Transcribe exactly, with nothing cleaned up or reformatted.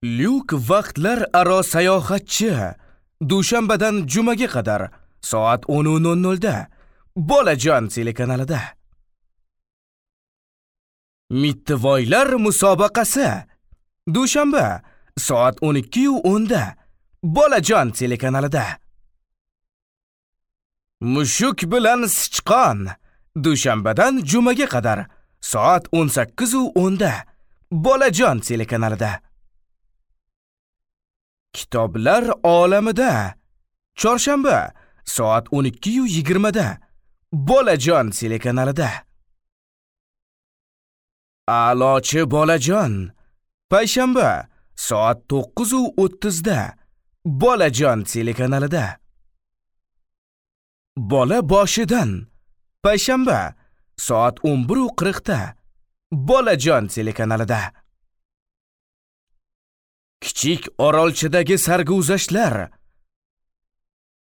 Lyuk vaqtlar aro sayohatchi. Dushanbadan jumaga qadar soat o'n nol nolda Bolajon telekanalida. Mittivoylar musobaqasi. Dushanba soat o'n ikki o'nda Bolajon telekanalida. Mushuk bilan sichqon. Dushanbadan jumaga qadar soat o'n sakkiz o'nda Bolajon telekanalida. Kitoblar olamida. Chorshanba soat o'n ikki yigirmada Bolajon telekanalida. A'lochi bolajon. Payshanba soat to'qqiz o'ttizda Bolajon telekanalida. Bola boshidan. Payshanba soat o'n bir qirqda Bolajon telekanalida. Kichik orolchadagi sarguzashtlar.